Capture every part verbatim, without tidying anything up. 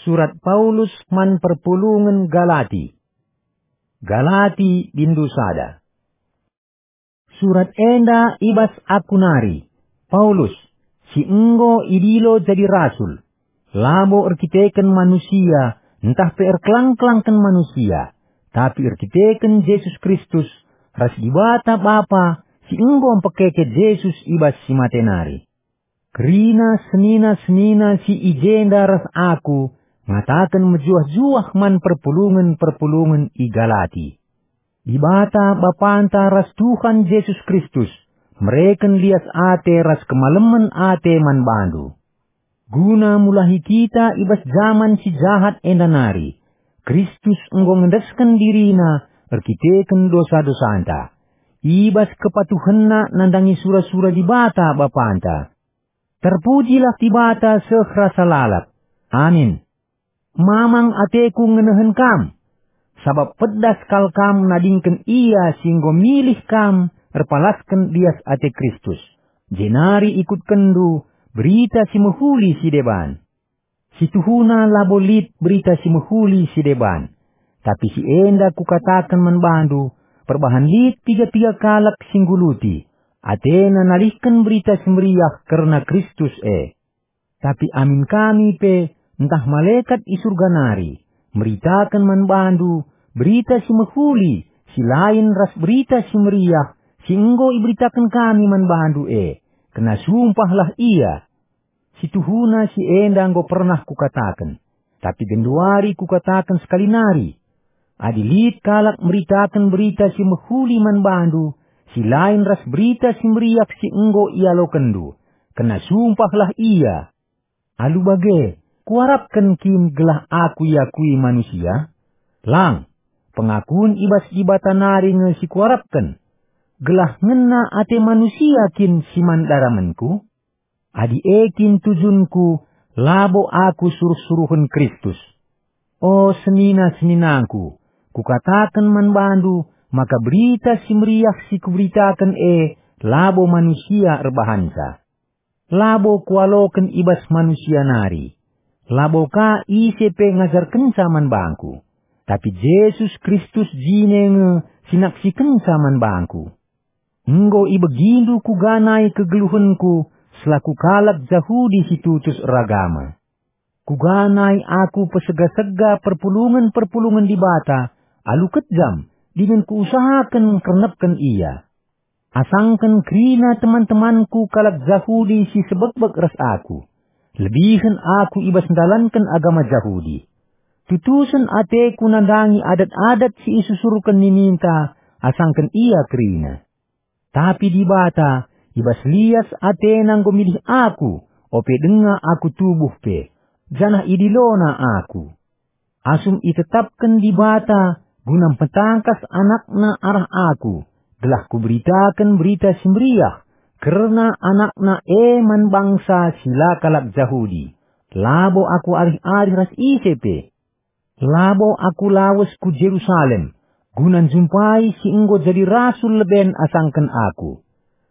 Surat Paulus man perpulungen Galati. Galati bindu sada. Surat enda i bas aku nari, Paulus, si enggo idilo jadi rasul, labo erkiteken manusia ntah pe erkelang-kelangken manusia, tapi erkiteken Jesus Kristus ras Dibata Bapa si enggo mpekeke Jesus i bas si mate nari. Kerina senina-senina si i jenda ras aku ngataken mejuah-juah man perpulungen-perpulungen i Galati. Dibata Bapanta ras Tuhan Jesus Kristus mereken lias ate ras kemalemen ate man bandu. Guna mulahi kita i bas jaman si jahat enda nari, Kristus enggo ngendesken diriNa erkiteken dosa-dosanta, i bas kepatuhenNa nandangi sura-sura Dibata Bapanta. Terpujilah Dibata seh rasa lalap. Amin. Mamang ateku ngenehen kam, sabap pedas kal kam nadingken Ia si enggo milih kam erpalasken lias ate Kristus, jenari ikutkenndu Berita Si Mehuli si deban. Situhuna labo lit Berita Si Mehuli si deban, tapi si enda kukataken man bandu, perbahan lit piga-piga kalak si ngguluti, atena nalihken Berita Si Meriah kerna Kristus e. Tapi amin kami pe, ntah malekat i Surga nari, meritaken man bandu Berita Si Mehuli si lain ras Berita Si Meriah si enggo iberitaken kami man bandu e, kena sumpahlah ia. Situhuna si enda enggo pernah kukataken, tapi genduari kukataken sekali nari. Adi lit kalak meritaken Berita Si Mehuli man bandu, si lain ras Berita Si Meriah si enggo ialokenndu, kena sumpahlah ia. Alu bage, kuarapken kin gelah aku iakui manusia? Lang, pengakun i bas Dibata nari nge si kuarapken. Gelah ngena ate manusia kin si man daramenku? Adi e kin tujunku, labo aku suruh-suruhen Kristus. O senina-seninangku, kukataken man bandu maka Berita Si Meriah si kuberitaken e labo manusia erbahanca. Labo kualoken i bas manusia nari. Labo ka ise pe ngajarkenca man bangku. Tapi Jesus Kristus jine nge si naksikenca man bangku. Enggo ibegindu kuga nai kegeluhenku selaku kalak Jahudi si tutus eragama. Kuga nai aku pesega-sega perpulungen-perpulungen Dibata alu kejam dingen kuusahaken ngkernepken ia. Asangken kerina teman-temanku kalak Jahudi si sebekbek ras aku, lebihen aku i bas ndalanken agama Jahudi. Tutusen ateku nandangi adat-adat si isusurken nininta asangken ia kerina. Tapi Dibata, i bas lias ateNa enggo milih aku, ope denga aku tubuh pe, janah idiloNa aku. Asum itetapken Dibata guna mpetangkas AnakNa arah aku, gelah kuberitaken Berita Si Meriah kerna AnakNa e man bangsa si la kalak Jahudi, labo aku arih-arih ras ise pe. Labo aku lawes ku Jerusalem guna njumpai si enggo jadi rasul leben asangken aku.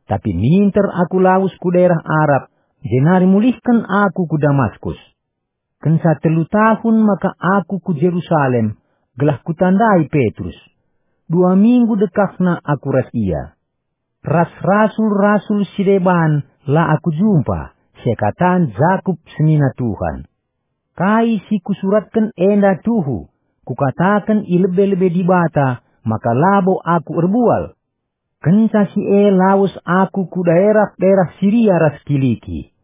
Tapi minter aku lawes ku daerah Arab, jenari mulihken aku ku Damaskus. Kenca telu tahun maka aku ku Jerusalem, gelah kutandai Petrus. Dua minggu dekahna aku ras ia. Ras rasul-rasul si deban la aku jumpa, seakatan Jakup senina Tuhan. Kai si kusuratken enda tuhu, kukataken i lebe-lebe Dibata maka labo aku erbual. Kenca si e lawes aku ku daerah-daerah Siria ras Kiliki.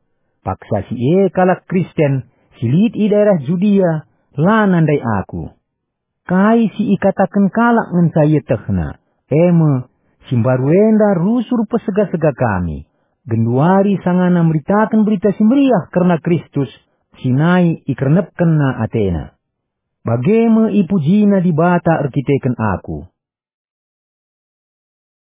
Paksa si e kalak Kristen si lit i daerah Judia la nandai aku. Kai si ikataken kalak ngenca ietehna, e me, si mbaru enda rusur pesega-sega kami, genduari sangana meritaken Berita Si Meriah kerna Kristus si nai ikernepkenna atena. Bage me ipujina Dibata erkiteken aku.